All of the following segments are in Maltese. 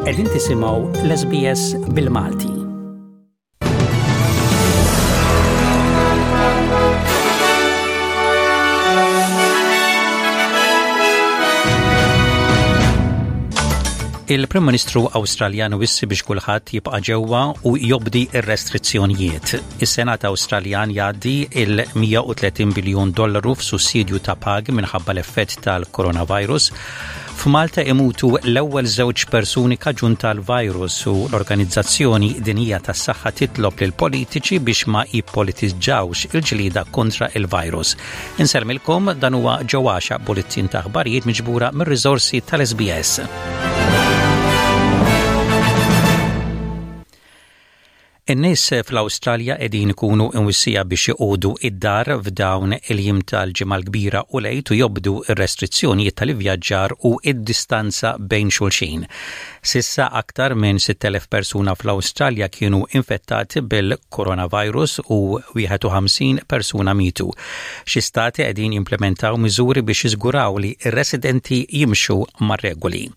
Qegħdin tisimgħu l-SBS bil-Malti. Il-Prim Ministru Awstraljan wissi biex kulħadd jibqa' ġewwa u jobdi r-restrizzjonijiet. Is-Senat Awstraljan jgħaddi il-130 biljun dollaru f'sussidju ta' pagi minħabba l-effett tal-coronavirus. F'Malta imutu l-ewwel żewġ persuni kaġun tal-virus u l-Organizzazzjoni Dinjija tas-Saħħa titlob lil politiċi biex ma jippolitiġġawx il-ġlieda kontra il-virus. Insellmilkom dan huwa ġewwaxa bulletin ta' aħbarijiet miġbura mir-riżorsi tal-SBS. In-nies fl-Awstralja qegħdin ikunu imwissija biex joqogħdu id-dar f'dawn il-jiem tal-Ġimgħa l-Kbira u l-Għid u jobdu r-restrizzjonijiet tal-ivvjaġġar u d-distanza bejn xulxin. S'issa aktar minn 6,000 persuna fl-Awstralja kienu infettati bil-coronavirus u 51 persuna mietu. Xi stati qegħdin jimplementaw miżuri biex jiżguraw li r-residenti jimxu mar-regoli.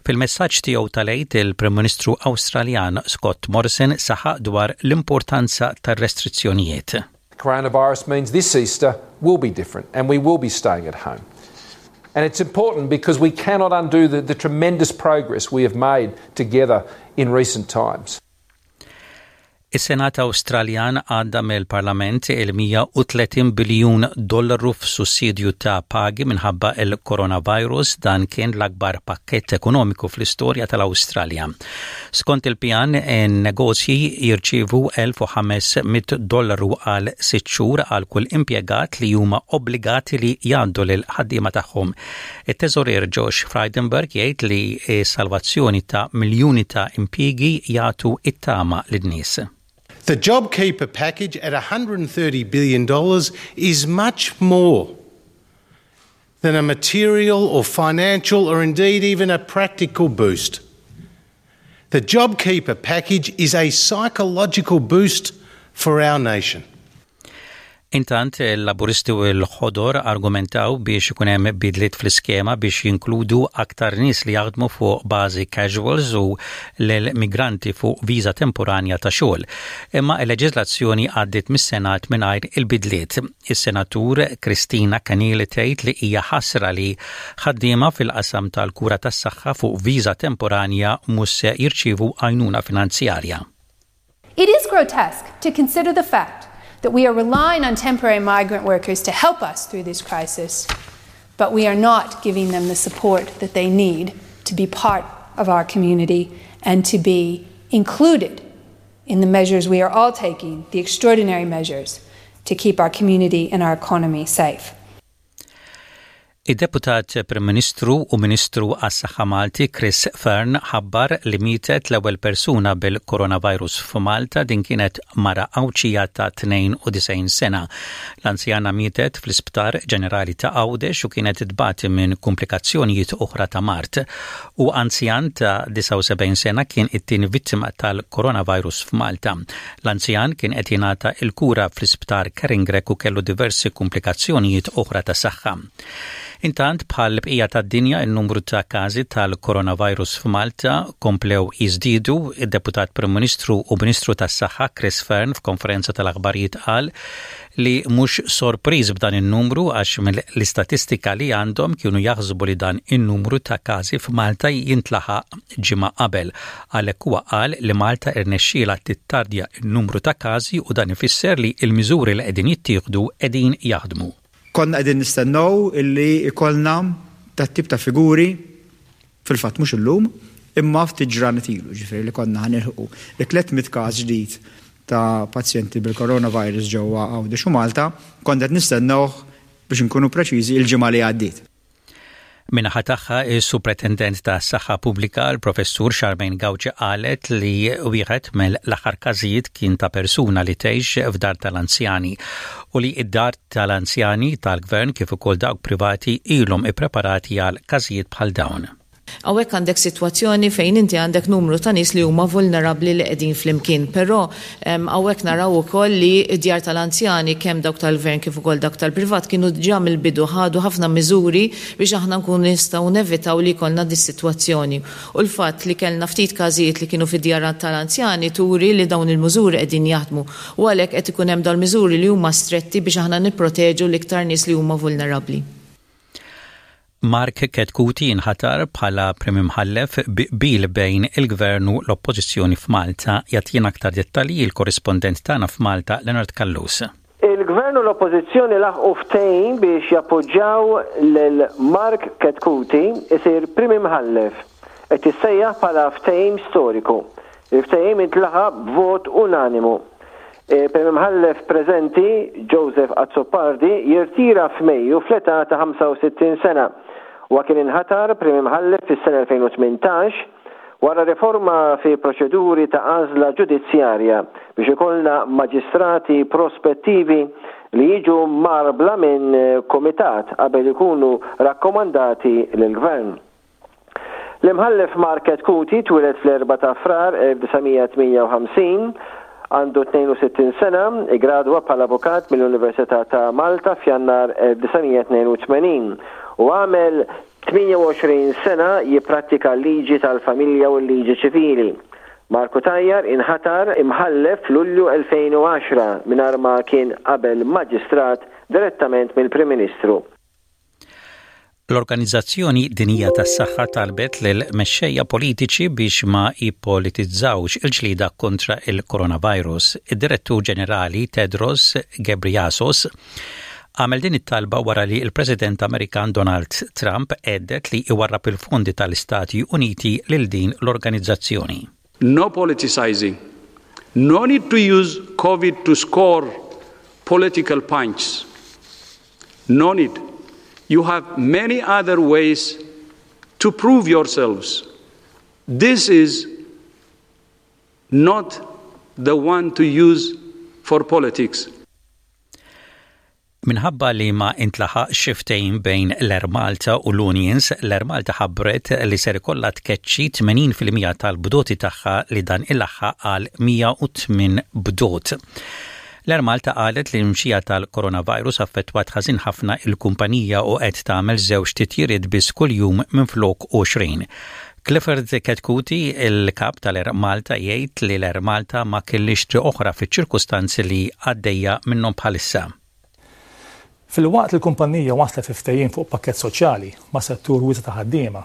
Fil-messaġġ tiegħu tal-Għid, il-Prim Ministru Awstraljan Scott Morrison saħaq dwar l-importanza tar-restrizzjonijiet. Coronavirus means this Easter will be different and we will be staying at home. And it's important because we cannot undo the, the tremendous progress we have made together in recent times. Is-Senat Awstraljan għadda mill-Parlament il-130 biljun dollaru f'sussidju ta' pagi minħabba il-coronavirus dan kien l-akbar pakkett ekonomiku fl-istorja tal-Awstralja. Skont il-pjan, in-negozji jirċievu 1500 dollaru għal sitt xhur għal kull impjegat li huma obbligati li jgħaddu lil ħaddiema tagħhom. It-Teżorier Josh Frydenberg jgħid li s-salvazzjoni ta' miljuni ta' impjiegi jagħtu it-tama lin-nies. The JobKeeper package at $130 billion is much more than a material or financial or indeed even a practical boost. The JobKeeper package is a psychological boost for our nation. Intant, il-Laburisti u l-Ħodor argumentaw biex ikun hemm bidliet fl-iskema biex jinkludu aktar nies li jaħdmu fuq bażi casuals u l-migranti fuq viża temporanja ta' xogħol. Imma l-leġiżlazzjoni għaddiet mis-Senat mingħajr il-bidliet. Is-Senatur Kristina Keneally tgħid li hija ħasra li ħaddiema fil-qasam tal-kura tas-saħħa fuq viża temporanja mhux se jirċievu għajnuna finanzjarja. It is grotesque to consider the fact that we are relying on temporary migrant workers to help us through this crisis, but we are not giving them the support that they need to be part of our community and to be included in the measures we are all taking, the extraordinary measures to keep our community and our economy safe. Id-Deputat Prim Ministru u Ministru għas-Saħħa Malti Chris Fearne ħabbar li mietet l-ewwel persuna bil-coronavirus f'Malta din kienet mara Għawdxija ta' 92 sena. L-anzjana mietet fl-Isptar Ġenerali ta' Għawdex u kienet tbati minn kumplikazzjonijiet oħra ta' mard. U anzjan ta' 79 sena kien it-tieni vittima tal-coronavirus f'Malta. L-anzjan kien qed jingħata l-kura fl-Isptar Keringrek u kellu diversi kumplikazzjonijiet oħra ta' saħħa. Intant, bħal bqija tad-dinja, in-numru ta' każi tal-coronavirus f'Malta komplew jiżdiedu. Id-Deputat Prim Ministru u Ministru tas-Saħħa Chris Fearne f'konferenza tal-aħbarijiet qal li mhux sorpriż b'dan in-numru għax mill-istatistika li għandhom kienu jaħsbu li dan in-numru ta' każi f'Malta jintlaħaq ġimgħa qabel. Għalhekk huwa qal li Malta irnexxielha tittardja n-numru ta' każi u dan ifisser li l-miżuri li qegħdin jittieħdu qegħdin jaħdmu. Konna qegħdin nistennew illi jkollna dat-tip ta' figuri, fil-fatt mhux illum, imma ftit ġranet ilu, ġifieri li konna ħa nilħqu it-300 każ ġdid ta' pazjenti bil-coronavirus ġewwa Għawdex u Malta, konna qed nistennewh biex inkunu preċiżi il-ġimgħa li għaddiet. Min-naħa tagħha, is-Supretendent tas-Saħħa Pubblika, l-Professur Charmaine Gauci qalet li wieħed mill-aħħar każijiet kien ta' persuna li tgħix f'dar tal-anzjani u li d-dar tal-anzjani tal-Gvern kif ukoll dawk privati ilhom ippreparati għal każijiet bħal dawn. Hawnhekk għandek sitwazzjoni fejn inti għandek numru ta' nies li huma vulnerabbli li qegħdin flimkien. Però hawnhekk naraw ukoll li d-djar tal-anzjani kemm dawk tal-Gvern kif ukoll dawk tal-privat kienu diġà mill-bidu ħadu ħafna miżuri biex aħna nkunu nistgħu nevitaw li jkollna dis-sitwazzjoni. U l-fatt li kellna ftit każijiet li kienu fid-djar tal-anzjani turi li dawn il-miżuri qegħdin jaħdmu u għalhekk qed ikun hemm dawn il-miżuri li huma stretti biex aħna nipproteġu l-iktar nies li huma vulnerabbli. Mark Chetcuti inħatar bħala Prim Imħallef bi qbil bejn il-Gvern u l-Oppożizzjoni f'Malta. Jagħtina aktar dettalji l-korrispondent tagħna f'Malta Leonard Callus. Il-Gvern u l-Oppożizzjoni laħqu ftehim biex jappoġġjaw lil Mark Chetcuti isir Prim Imħallef. Qed jissejjaħ bħala ftehim storiku. Il-ftehim intlaħaq b'vot unanimu. Il-Prim Imħallef preżenti, Joseph Azzopardi, jirtira f'Mejju fl-età ta' 65 sena. Huwa kien inħatar Prim Imħallef fis-sena 2018 wara riforma fi proċeduri ta' għażla ġudizzjarja biex ikollna maġistrati prospettivi li jiġu mgħarbla minn kumitat qabel ikunu rakkomandati lill-Gvern. L-Imħallef Mark Chetcuti twieled fl-4 ta' Frar 1958, għandu 62 sena, iggradwa bħala avukat mill-Università ta' Malta f'Jannar 1982 u għamel 28 sena jipprattika l-liġi tal-familja u l-liġi ċivili. Mark Cutajar inħatar Imħallef f'Lulju 2010 mingħajr ma kien qabel Maġistrat direttament mill-Prim Ministru. L-Organizzazzjoni Dinjija tas-Saħħa talbet lil mexxejja politiċi biex ma jippolitizzawx il-ġlieda kontra il-coronavirus. Id-Direttur Ġenerali Tedros Ghebreyesus għamel din it-talba wara li l-President Amerikan Donald Trump għedded li iwarrab il-fondi tal-Istati Uniti lil din l-organizzazzjoni. No politicizing. No need to use COVID to score political punch. No need. You have many other ways to prove yourselves. This is not the one to use for politics. Minħabba li ma intlaħaqx ftehim bejn l-Air Malta u l-Unions, l-Air Malta ħabbret li ser ikollha tkeċċi 80 fil-mija tal-bdoti tagħha li dan ilaħħaq għal 108 bdot. L-Air Malta qalet li l-mxija tal-coronavirus affettwat ħażin ħafna il-kumpanija u qed tagħmel żewġ titjiriet biss kuljum minflok 20. Clifford Chetcuti, il-kap tal-Air Malta jgħid li l-Air Malta ma kellhiex triq oħra fiċ-ċirkustanzi li għaddejja minnhom bħalissa. Filwaqt li l-kumpanija waslet fi ftehim fuq pakkett soċjali ma' settur wiesa' ta' ħaddiema,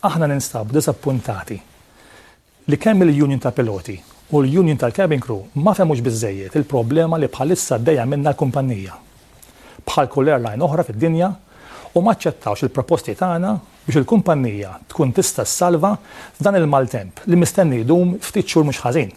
aħna ninstabu diżappuntati li kemm il-union tal-piloti u l-union tal-cabin crew ma fehmux biżżejjed il-problema li bħalissa għaddejja minnha l-kumpanija, bħal kull airline oħra fid-dinja, u ma aċċettawx il-proposti tagħna biex il-kumpanija tkun tista' ssalva f'dan il-maltemp li mistenni jdum ftit xhur mhux ħażin.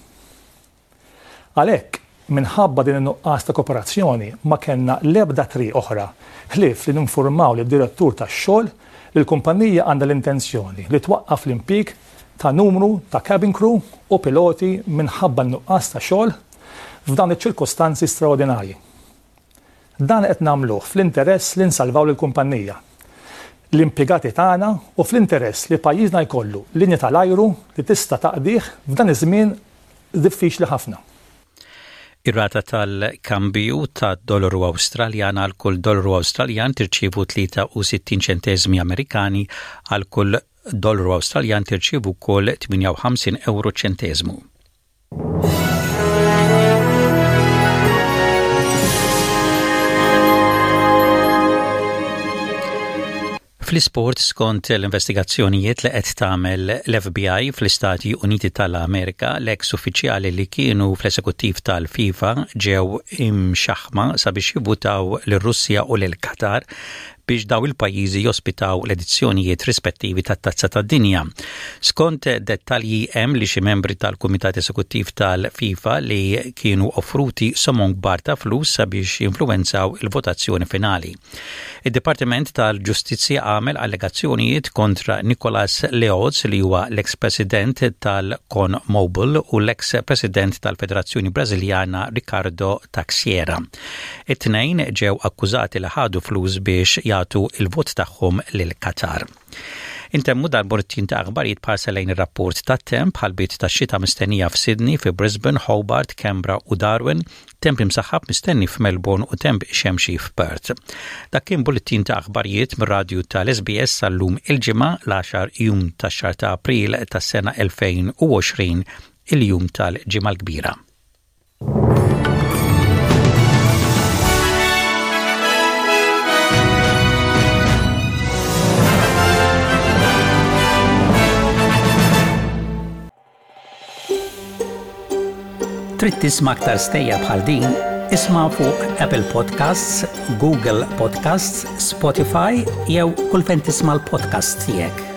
Għalhekk, minħabba din in-nuqqas ta' koperazzjoni ma kellna l-ebda triq oħra ħlief li ninfurmaw lid-Direttur tax-Xogħol li l-kumpanija għandha l-intenzjoni li twaqqaf l-impjieg ta' numru ta' cabin crew u piloti minħabba n-nuqqas ta' xogħol f'dawn iċ-ċirkostanzi straordinarji. Dan qed nagħmluh fl-interess li nsalvaw lill-kumpanija, l-impjegati tagħna u fl-interess li pajjiżna jkollu linja tal-ajru li tista' taqdih f'dan iż-żmien diffiċli ħafna. Ir-rata tal-kambju tad-dollaru Awstraljan għal kull dollaru Awstraljan tirċievu 63 ċenteżmi Amerikani għal kull dollaru Awstraljan tirċievu wkoll 58 ewro ċenteżmu. Fl-isport skont l-investigazzjonijiet li qed tagħmel l-FBI fl-Istati Uniti tal-Amerika, l-eks uffiċjali li kienu fl-esekuttiv tal-FIFA ġew imxaħma sabiex jivvutaw lir-Russja u lil Qatar biex daw il-pajjiżi jospitaw l-edizzjonijiet rispettivi tat-Tazza tad-Dinja. Skont dettalji hemm li xi membri tal-Kumitat Esekuttiv tal-FIFA li kienu offruti somom kbar ta' flus sabiex jinfluwenzaw il-votazzjoni finali. Id-Dipartiment tal-Ġustizzja għamel allegazzjonijiet kontra Nicolas Leoz li huwa l-eks President tal-CONMEBOL u l-eks President tal-Federazzjoni Brażiljana Ricardo Teixeira. It-tnejn ġew akkużati li ħadu flus biex jagħtu l-vot tagħhom lil Qatar. Intemmu dal-bulletin ta' aħbarijiet b'ħarsa lejn ir-rapport tat-temp, ħalbiet tax-xita mistennija f'Sydney, fi Brisbane, Hobart, Canberra u Darwin, temp imsaħħab mistenni f'Melbourne u temp xemxi f'Perth. Dak kien bulletin ta' aħbarijiet mir-radju tal-SBS sal-lum il-Ġimgħa l-għaxar jum tax-xahar ta' April tas-sena 2020, il-jum tal-Ġimgħa l-Kbira. Trid tisma' aktar stejjer bħal din? Isma' fuq Apple Podcasts, Google Podcasts, Spotify jew kull fejn tisma' l-podcasts tiegħek.